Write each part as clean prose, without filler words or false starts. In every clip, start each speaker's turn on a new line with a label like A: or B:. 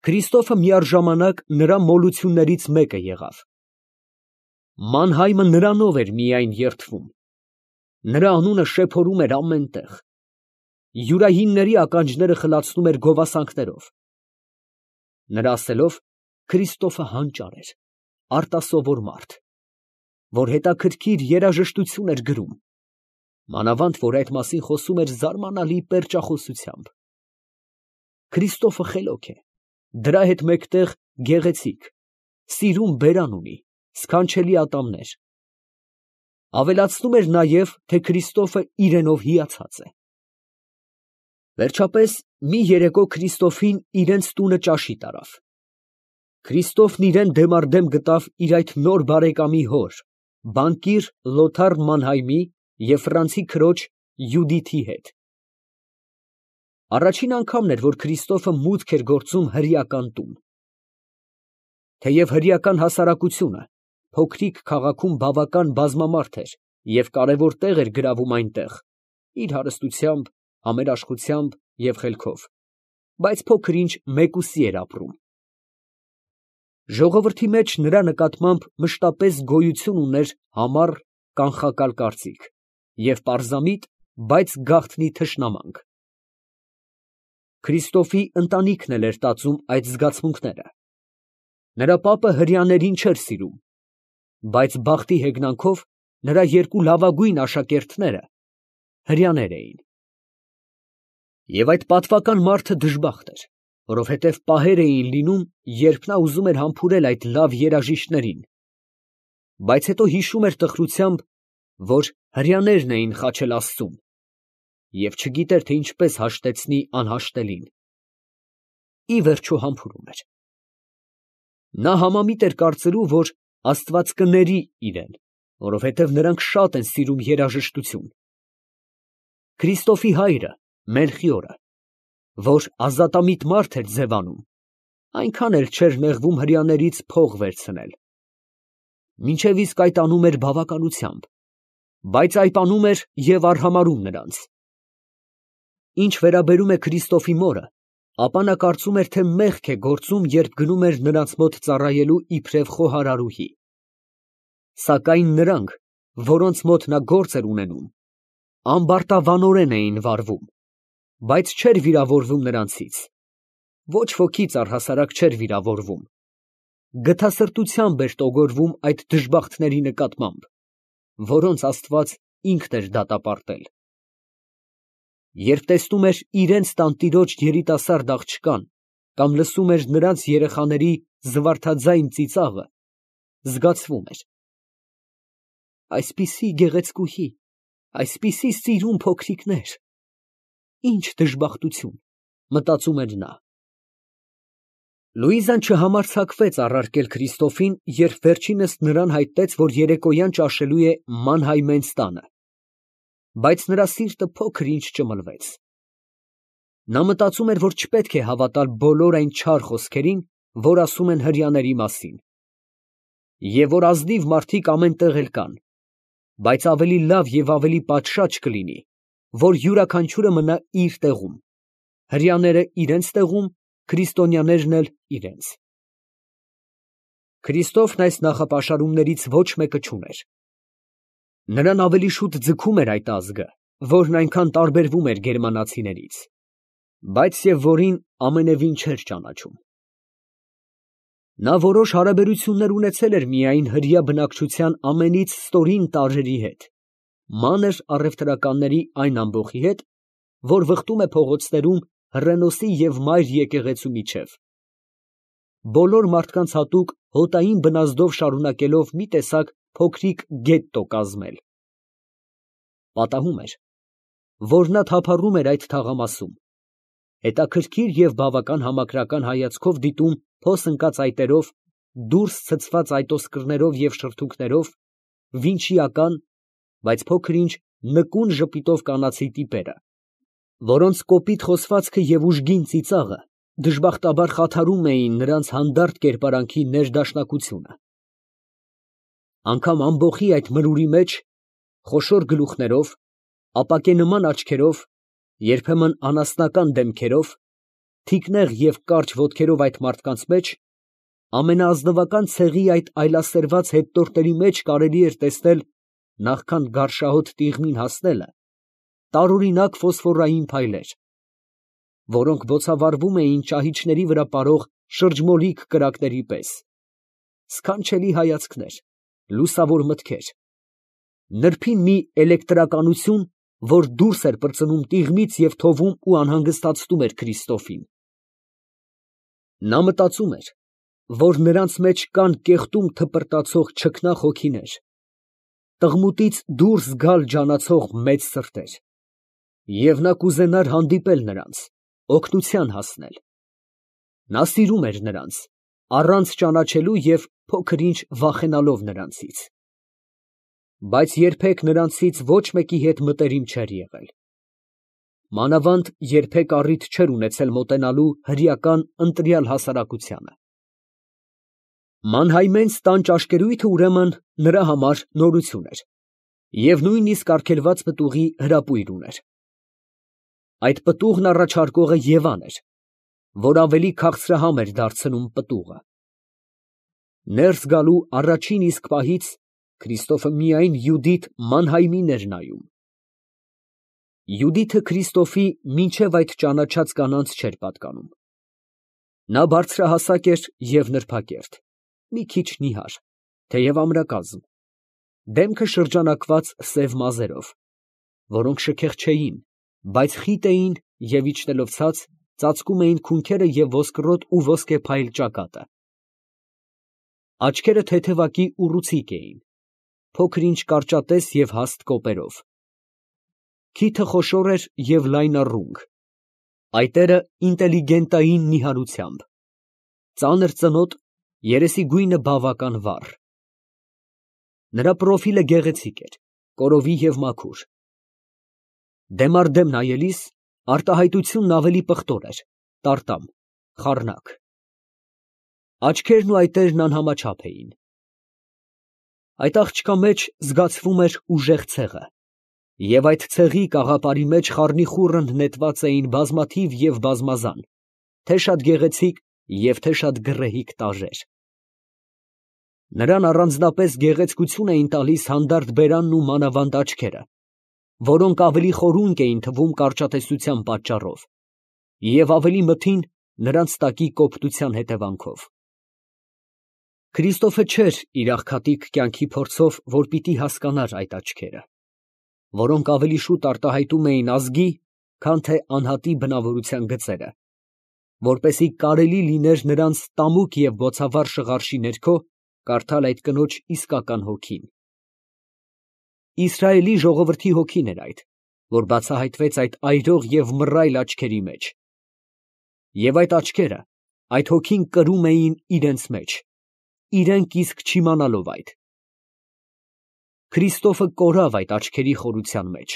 A: Քրիստոֆը միառժամանակ նրա մոլություններից մեկը եղավ։ Մանհայմը նրանով էր միայն երդվում, նրա անունը շեփորում էր ամեն տեղ, յուրայինների ականջները խլացնում էր գովասանքներով։ Նրա ասելով, Քրիստոֆը հանճար էր, արտասովոր մարդ, որ հետաքրքիր երաժշտություն էր գրում, մանավանդ որ այդ մասին խոսում էր զարմանալի պերճախոսությամբ։ Քրիստոֆը խելոք է, դրա հետ մեկտեղ գեղեցիկ, սիրուն բերան ունի, սքանչելի ատամներ։ Ավելացնում էր նաև, թե Քրիստոֆը իրենով հիացած է։ Վերջապես մի երեկո Քրիստոֆին իրենց տունը ճաշի տարավ։ Քրիստոֆն իրեն դեմառդեմ գտավ իր այդ նոր բարեկամի հոր, բանկիր Լոթար Մանհայմի և ֆրանսի քրոջ Յուդիթի հետ։ Առաջին անգամն էր, որ Քրիստոֆը մուտք էր գործում հրեական տուն։ Թեև հրեական հասարակությունը փոքրիկ քաղաքում բավական բազմամարդ էր և կարևոր տեղ էր գրավում այնտեղ, իր հարստությամբ, համերաշխությամբ և խելքով, բայց փոքր-ինչ մեկուսի էր ապրում։ Ժողովրդի մեջ նրա նկատմամբ մշտապես գոյություն ուներ համառ կանխակալ կարծիք և պարզամիտ, բայց գաղտնի թշնամանք։ Քրիստոֆի ընտանիքն էլ էր տածում այդ զգացմունքները։ Նրա պապը հրեաներին չէր սիրում, բայց բախտի հեգնանքով նրա երկու լավագույն աշակերտները հրեաներ էին։ Եվ այդ պատվական մարդը դժբախտ էր, որովհետև պահեր էին լինում, երբ նա ուզում էր համբուրել այդ լավ երաժիշտներին, բայց հետո հիշում էր տխրությամբ, որ հրեաներն էին խաչել Աստծուն, և չգիտեր, թե ինչպես հաշտեցնի անհաշտելին։ Ի վերջո համբուրում էր։ Նա համամիտ էր կարծելու, որ Աստված կների իրեն, որովհետև նրանք շատ են սիրում երաժշտություն։ Քրիստոֆի հայրը Մելխիորը, որ ազատամիտ մարդ էր ձևանում, այնքան էլ չէր նեղվում հրեաներից փող վերցնել։ Մինչև իսկ այդ անում էր բավականությամբ, բայց այպանում էր և արհամարհում նրանց։ Ինչ վերաբերում է Քրիստոֆի մորը, ապա նա կարծում էր, թե մեղք է գործում, երբ գնում էր նրանց մոտ ծառայելու իբրև խոհարարուհի։ Սակայն նրանք, որոնց մոտ նա գործ էր ունենում, ամբարտավանորեն էին վարվում, բայց չէր վիրավորվում նրանցից, ոչ ոքից առհասարակ չէր վիրավորվում, գթասրտությամբ էր տոգորվում այդ դժբախտների նկատմամբ, որոնց Աստված ինքն էր դատապարտել։ Երբ տեսնում էր իրենց տանտիրոջ երիտասարդ աղջկան կամ լսում էր նրանց երեխաների զվարթաձայն ծիծաղը, զգացվում էր. այսպիսի գեղեցկուհի, այսպիսի սիրուն փոքրիկներ, ինչ դժբախտություն, մտածում էր նա։ Լուիզան չհամարձակվեց առարկել Քրիստոֆին, երբ վերջինս նրան հայտնեց, որ երեկոյան ճաշելու է Մանհայմենց տանը, բայց նրա սիրտը փոքր-ինչ ճմլվեց։ Նա մտածում էր, որ չպետք է հավատալ բոլոր այն չար խոսքերին, որ ասում են հրեաների մասին, և որ ազնիվ մարդիկ ամեն տեղ էլ կան, բայց ավելի լավ և ավելի պատշաճ կլինի, որ յուրաքանչյուրը մնա իր տեղում, հրեաները իրենց տեղում, քրիստոնյաներն էլ իրենց։ Քրիստոֆն այս նախապաշարումներից ոչ մեկը չուներ։ Նրան ավելի շուտ ձգում էր այդ ազգը, որն այնքան տարբերվում էր գերմանացիներից, բայց և որին ամենևին չէր ճանաչում։ Նա որոշ հարաբերություններ ունեցել էր միայն հրեա բնակչության ամենից ստորին տարրերի հետ, մանր առևտրականների այն ամբոխի հետ, որ վխտում է փողոցներում Հռենոսի և Մայր եկեղեցու միջև, բոլոր մարդկանց հատուկ հոտային բնազդով շարունակելով մի տեսակ փոքրիկ գետտո կազմել։ Պատահում էր, որ նա թափառում էր այդ թաղամասում, հետաքրքիր և բավական համակրական հայացքով դիտում փոս ընկած այտերով, դուրս ցցված այտոսկրներով և շրթունքներով, վինչիական, բայց փոքր-ինչ նկուն ժպիտով կանացի տիպերը, որոնց կոպիտ խոսվածքը և ուժգին ծիծաղը դժբախտաբար խաթարում էին նրանց հանդարտ կերպարանքի ներդաշնակությունը։ Անգամ ամբոխի այդ մրուրի մեջ, խոշոր գլուխներով, ապակենման աչքերով, երբեմն անասնական դեմքերով, թիկնեղ և կարճ ոտքերով այդ մարդկանց մեջ, ամենաազնվական ցեղի այդ այլասերված հետնորդների մեջ կարելի էր տեսնել, նախքան գարշահոտ տիղմին հասնելը, տարօրինակ ֆոսֆորային փայլեր, որոնք բոցավառվում էին ճահիճների վրա պարող շրջմոլիկ կրակների պես, սքանչելի հայացքներ, լուսավոր մտքեր, նրբին մի էլեկտրականություն, որ դուրս էր պրծնում տիղմից և թովում ու անհանգստացնում էր Քրիստոֆին։ Նա մտածում էր, որ նրանց մեջ կան կեղտում թպրտացող չքնաղ հոգիներ, տղմուտից դուրս գալ ջանացող մեծ սրտեր, և նա կուզենար հանդիպել նրանց, օգնության հասնել։ Նա սիրում էր նրանց, առանց ճանաչելու և փոքր֊ինչ վախենալով նրանցից, բայց երբեք նրանցից ոչ մեկի հետ մտերիմ չէր եղել, մանավանդ երբեք առիթ չէր ունեցել մոտենալու հրեական ընտրյալ հասարակությանը։ Մանհայմենց տան ճաշկերույթը ուրեմն նրա համար նորություն էր և նույնիսկ արգելված պտուղի հրապույր ուներ։ Այդ պտուղն առաջարկողը Եվան էր, որ ավելի քաղցրահամ էր դարձնում պտուղը։ Ներս գալու առաջին իսկ պահից Քրիստոֆը միայն Յուդիթ Մանհայմին էր նայում։ Յուդիթը Քրիստոֆի մինչև այդ ճանաչած կանանց չէր պատկանում։ Նա բարձրահասակ էր և նրբակերտ, մի քիչ նիհար, թեև ամրակազմ, դեմքը շրջանակված սև մազերով, որոնք շքեղ չէին, բայց խիտ էին և իջնելով ցած, ծածկում էին քունքերը և ոսկրոտ ու ոսկեփայլ ճակատը։ Աչքերը թեթևակի ուռուցիկ էին, փոքր֊ինչ կարճատես և հաստ կոպերով։ Քիթը խոշոր էր և լայնառունգ, այտերը ինտելիգենտային նիհարությամբ, ծանր ծնոտ, երեսի գույնը բավական վառ։ Նրա պրոֆիլը գեղեցիկ էր, կորովի և մաքուր։ Դեմ առ դեմ նայելիս արտահայտությունն ավելի պղտոր էր, տարտամ, խառնակ։ Աչքերն ու այտերն անհամաչափ էին։ Այդ աղջկա մեջ զգացվում էր ուժեղ ցեղը, և այդ ցեղի կաղապարի մեջ խառնիխուռն նետված էին բազմաթիվ և բազմազան, թե շատ գեղեցիկ և թե շատ գռեհիկ տարրեր։ Նրան առանձնապես գեղեցկություն էին տալիս հանդարտ բերանն ու մանավանդ աչքերը, որոնք ավելի խորունկ էին թվում կարճատեսության պատճառով և ավելի մթին նրանց տակի կոպտության հետևանքով։ Քրիստոֆը չէր իր աղքատիկ կյանքի փորձով, որ պիտի հասկանար այդ աչքերը, որոնք ավելի շուտ արտահայտում էին ազգի, քան թե անհատի բնավորության գծերը, որպեսզի կարելի լիներ նրանց տամուկ և բոցավառ շղարշի ներքո կարդալ այդ կնոջ իսկական հոգին։ Իսրայելի ժողովրդի հոգին էր այդ, որ բացահայտվեց այդ այրող և մռայլ աչքերի մեջ։ Եվ այդ աչքերը, այդ հոգին կրում էին իրենց մեջ, իրենք իսկ չիմանալով այդ։ Քրիստոֆը կորավ այդ աչքերի խորության մեջ։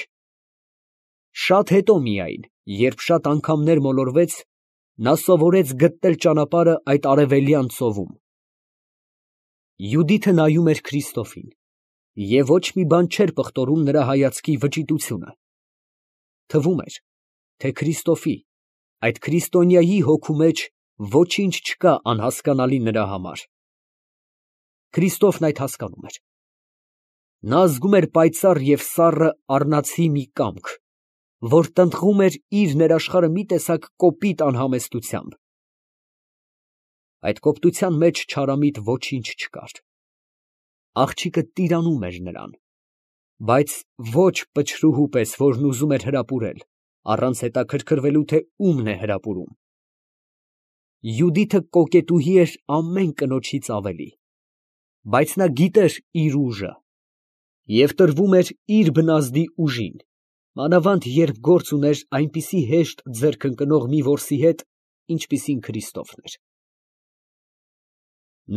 A: Շատ հետո միայն, երբ շատ անգամներ մոլորվեց, նա սովորեց գտնել ճանապարհը այդ արևելյան ծովում։ Յուդիթը նայում էր Քրիստոֆին, և ոչ մի բան չէր պղտորում նրա հայացքի վճիտությունը։ Թվում էր, թե Քրիստոֆի, այդ քրիստոնյայի հոգու մեջ ոչինչ չկա անհասկանալի նրա համար։ Քրիստոֆն այդ հասկանում էր։ Նա զգում էր պայծառ և սառը առնացի մի կամք, որ տնտղում էր իր ներաշխարհը մի տեսակ կոպիտ անհամեստությամբ։ Այդ կոպտության մեջ չարամիտ ոչինչ չկար։ Աղջիկը տիրանում էր նրան, բայց ոչ պչրուհու պես, որն ուզում էր հրապուրել, առանց հետաքրքրվելու, թե ումն է հրապուրում։ Յուդիթը կոկետուհի էր ամեն կնոջից ավելի, բայց նա գիտեր իր ուժը և տրվում էր իր բնազդի ուժին, մանավանդ երբ գործ ուներ այնպիսի հեշտ ձեռք ընկնող մի որսի հետ, ինչպիսին Քրիստոֆն էր։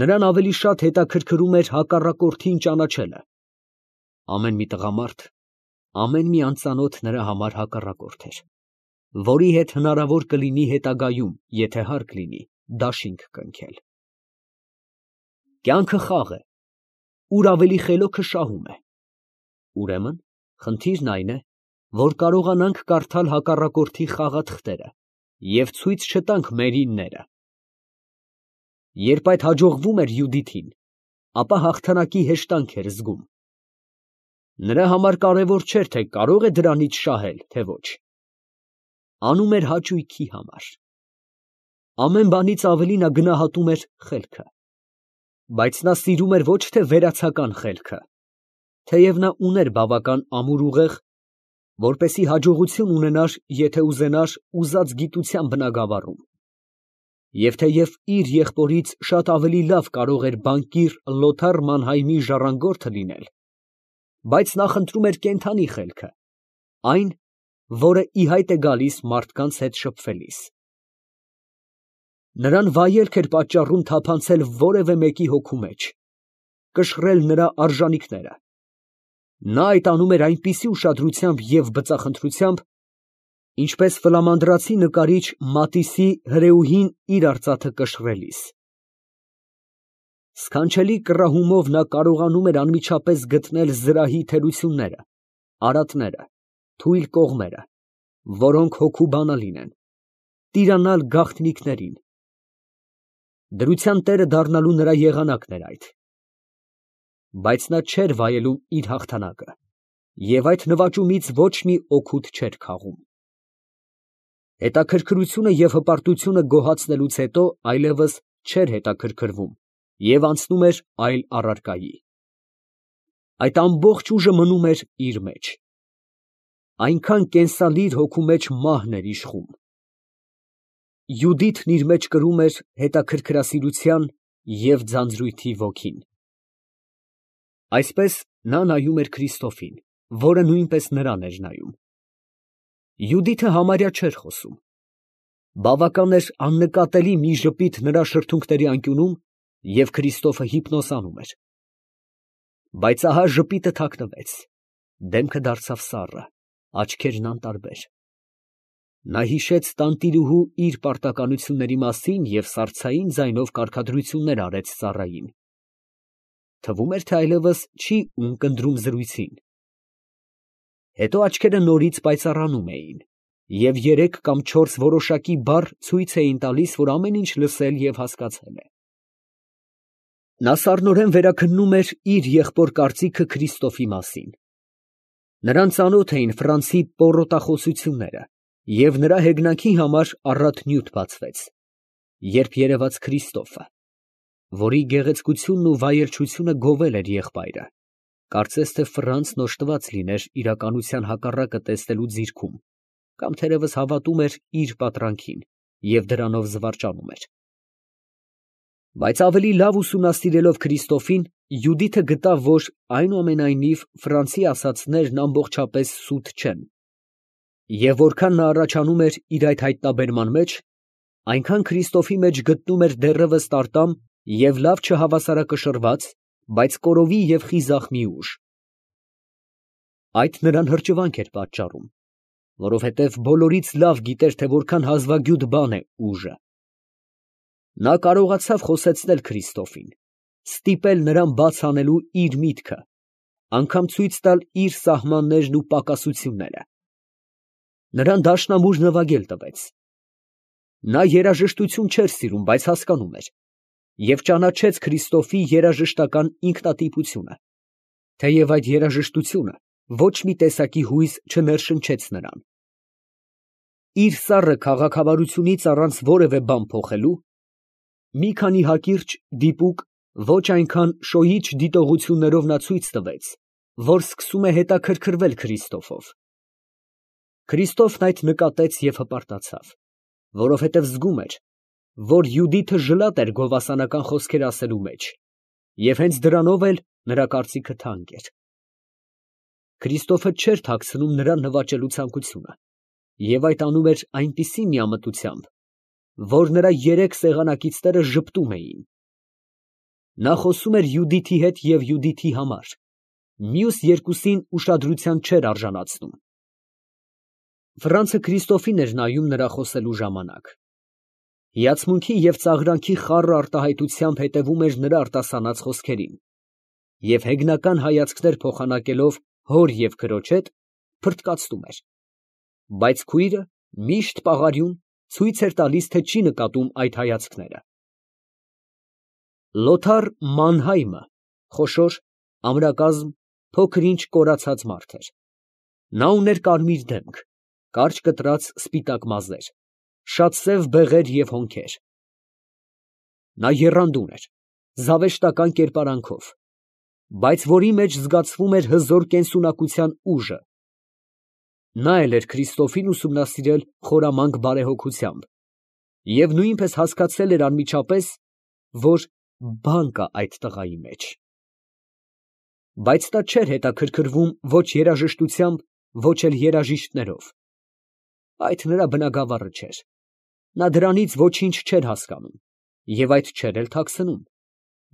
A: Նրան ավելի շատ հետաքրքրում էր հակառակորդին ճանաչելը։ Ամեն մի տղամարդ, ամեն մի անծանոթ նրա համար հակառակորդ էր, որի հետ հնարավոր կլինի հետագայում, եթե հարկ լինի, դաշինք կնքել։ Կյանքը խաղ է, ուր ավելի խելոքը շահում է։ Ուրեմն խնդիրն այն է, որ կարողանանք կարդալ հակառակորդի խաղաթղթերը և ցույց չտանք մերինները։ Երբ այդ հաջողվում էր Յուդիթին, ապա հաղթանակի հեշտանք էր զգում։ Նրա համար կարևոր չէր, թե կարող է դրանից շահել, թե ոչ։ Անում էր հաճույքի համար։ Ամեն բանից ավելի նա գնահատում էր խելքը։ Բայց նա սիրում էր ոչ թե վերացական խելքը, թեև նա ուներ բավական ամուր ուղեղ, որպեսզի հաջողություն ունենար, եթե ուզենար, ուզած գիտության բնագավառում, և թեև իր եղբորից շատ ավելի լավ կարող էր բանկիր Լոթար Մանհայմի ժառանգորդը լինել, բայց նա խնդրում էր կենդանի խելքը, այն, որը ի հայտ է գալիս մարդկանց հետ շփվելիս։ Նրան վայելք էր պատճառում թափանցել որևէ մեկի հոգու մեջ, կշռել նրա արժանիքները։ Նա այդ անում էր այնպիսի ուշադրությամբ և բծախնդրությամբ, ինչպես ֆլամանդրացի նկարիչ Մատիսի հրեուհին իր արծաթը կշռելիս։ Սքանչելի կռահումով նա կարողանում էր անմիջապես գտնել զրահի թերությունները, արատները, թույլ կողմերը, որոնք հոգու բանալին են, տիրանալ գաղտնիքներին։ Դրության տերը դառնալու նրա եղանակն էր այդ։ Բայց նա չէր վայելում իր հաղթանակը, և այդ նվաճումից ոչ մի օգուտ չէր քաղում։ Հետաքրքրությունը և հպարտությունը գոհացնելուց հետո այլևս չէր հետաքրքրվում և անցնում էր այլ առարկայի։ Այդ ամբողջ ուժը մնում էր իր մեջ։ Այնքան կենսալիր հոգու մեջ մահն էր իշխում։ Յուդիթն իր մեջ կրում էր հետաքրքրասիրության և ձանձրույթի ոգին։ Այսպես նա նայում էր Քրիստոֆին, որը նույնպես նրան էր նայում։ Յուդիթը համարյա չէր խոսում։ Բավական էր աննկատելի մի ժպիտ նրա շրթունքների անկյունում, և Քրիստոֆը հիպնոսանում էր։ Բայց ահա ժպիտը թաքնվեց, դեմքը դարձավ սառը, աչքերն անտարբեր։ Նա հիշեց տանտիրուհու իր պարտականությունների մասին և սառցային ձայնով կարգադրություններ արեց ծառային։ Թվում էր, թե այլևս չի ունկնդրում զրույցին։ Հետո աչքերը նորից պայծառանում էին, և 3 կամ 4 որոշակի բառ ցույց էին տալիս, որ ամեն ինչ լսել և հասկացել է։ Նա սառնորեն վերաքննում էր իր եղբոր կարծիքը Քրիստոֆի մասին։ Նրան ծանոթ էին Ֆրանցի պոռոտախոսությունները, և նրա հեգնանքի համար առատ նյութ բացվեց, երբ երևաց Քրիստոֆը, որի գեղեցկությունն ու վայելչությունը գովել էր եղբայրը, կարծես թե Ֆրանցն օժտված լիներ իրականության հակառակը տեսնելու ձիրքում, կամ թերևս հավատում էր իր պատրանքին և դրանով զվարճանում էր։ Բայց ավելի լավ ուսումնասիրելով Քրիստոֆին, Յուդիթը գտավ, որ այնուամենայնիվ Ֆրանցի ասածներն ամբողջապես սուտ չեն, և որքան նա առաջանում էր իր այդ հայտնաբերման մեջ, այնքան Քրիստոֆի մեջ գտնում էր դեռևս տարտամ և լավ չհավասարակշռված, բայց կորովի և խիզախ մի ուժ։ Այդ նրան հրճվանք էր պատճառում, որովհետև բոլորից լավ գիտեր, թե որքան հազվագյուտ բան է ուժը։ Նա կարողացավ խոսեցնել Քրիստոֆին, ստիպել նրան բաց անելու իր միտքը, անգամ ցույց տալ իր սահմաններն ու պակասությունները։ Նրան դաշնամուր նվագել տվեց։ Նա երաժշտություն չէր սիրում, բայց հասկանում էր, և ճանաչեց Քրիստոֆի երաժշտական ինքնատիպությունը, թեև այդ երաժշտությունը ոչ մի տեսակի հույզ չներշնչեց նրան։ Իր սառը քաղաքավարությունից առանց որևէ բան փոխելու, մի քանի հակիրճ, դիպուկ, ոչ այնքան շոյիչ դիտողություններով նա ցույց տվեց, որ սկսում է հետաքրքրվել Քրիստոֆով։ Քրիստոֆն այդ նկատեց և հպարտացավ, որովհետև զգում էր, որ Յուդիթը ժլատ էր գովասանական խոսքեր ասելու մեջ, և հենց դրանով էլ նրա կարծիքը թանկ էր։ Քրիստոֆը չէր թաքցնում նրան նվաճելու ցանկությունը, և այդ անում էր այնպիսի միամտությամբ, որ նրա 3 սեղանակիցները ժպտում էին։ Նա խոսում էր Յուդիթի հետ և Յուդիթի համար, մյուս երկուսին ուշադրության չէր արժանացնում։ Ֆրանցը Քրիստոֆին էր նայում նրա խոսելու ժամանակ։ Հիացմունքի և ծաղրանքի խառը արտահայտությամբ հետևում էր նրա արտասանած խոսքերին, և հեգնական հայացքներ փոխանակելով հոր և քրոջ հետ, փռթկացնում էր։ Բայց քույրը միշտ պաղարյուն, ցույց էր տալիս, թե չի նկատում այդ հայացքները։ Լոթար Մանհայմը խոշոր, ամրակազմ, փոքր-ինչ կորացած մարդ էր։ Նա ուներ կարմիր դեմք, կարճ կտրած սպիտակ մազեր, շատ սև բեղեր և հոնքեր։ Նա եռանդուն էր, զավեշտական կերպարանքով, բայց որի մեջ զգացվում էր հզոր կենսունակության ուժը։ Նա էլ էր Քրիստոֆին ուսումնասիրել խորամանկ բարեհոգությամբ և նույնպես հասկացել էր անմիջապես, որ բան կա այդ տղայի մեջ։ Բայց նա չէր հետաքրքրվում ոչ երաժշտությամբ, ոչ էլ երաժիշտներով։ Այդ նրա բնագավառը չէր։ Նա դրանից ոչինչ չէր հասկանում և այդ չէր էլ թաքցնում,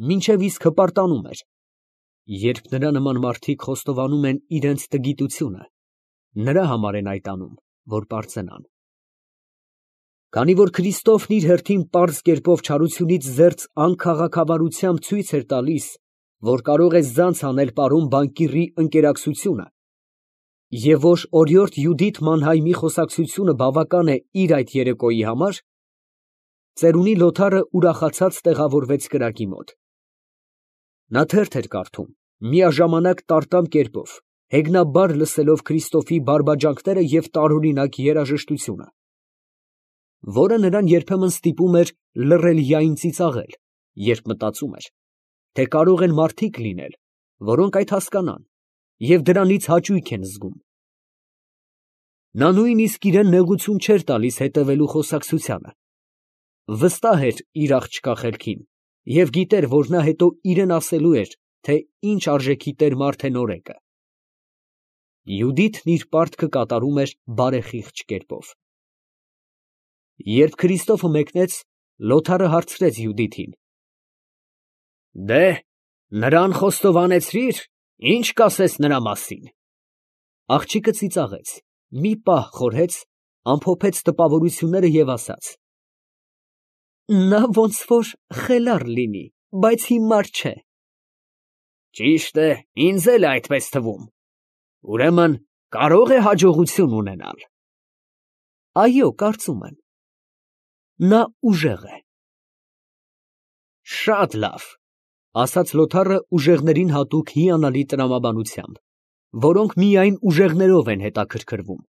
A: մինչև իսկ հպարտանում էր, երբ նրա նման մարդիկ խոստովանում են իրենց տգիտությունը, նրա համար են այդ անում, որ պարծենան։ Քանի որ Քրիստոֆն իր հերթին պարզ կերպով չարությունից զերծ անքաղաքավարությամբ ցույց էր տալիս, որ կարող է զանց անել պարոն բանկիրի ընկերակցությունը, և որ օրիորդ Յուդիթ Մանհայմի խոսակցությունը բավական է իր այդ երեկոյի համար, ծերունի Լոթարը ուրախացած տեղավորվեց կրակի մոտ։ Նա թերթ էր կարդում, միաժամանակ տարտամ կերպով, հեգնաբար լսելով Քրիստոֆի բարբաջանքները և տարօրինակ երաժշտությունը, որը նրան երբեմն ստիպում էր լռելիային ծիծաղել, երբ մտածում էր, թե կարող են մարդիկ լինել, որոնք այդ հասկանան և դրանից հաճույք են զգում։ Նա նույնիսկ իրան նեղություն չէր տալիս հետևելու խոսակցությանը, վստահ էր իր աղջկա խելքին և գիտեր, որ նա հետո իրան ասելու էր, թե ինչ արժեքի տեր-մարդ է նորեկը։ Յուդիթն իր պարտքը կատարում էր բարեխիղճ կերպով։ Երբ Քրիստոֆը մեկնեց, Լոթարը հարցրեց Յուդիթին. «Դե, նրան խոստովանեցրի՞ր, ինչ կասես նրա մասին»։ Աղջիկը ծիծաղեց, մի պահ խորհեց, ամփոփեց տպավորությունները և ասաց. «Նա ոնց որ խելառ լինի, բայց հիմար չէ»։ «Ճիշտ է, ինձ էլ է այդպես թվում։ Ուրեմն կարո՞ղ է հաջողություն ունենալ»։ «Այո, կարծում եմ։ Նա ուժեղ է»։ «Շատ լավ», ֊ ասաց Լոթարը ուժեղներին հատուկ հիանալի տրամաբանությամբ, որոնք միայն ուժեղներով են հետաքրքրվում։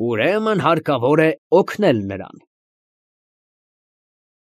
A: «Ուրեմն հարկավոր է օգնել նրան»։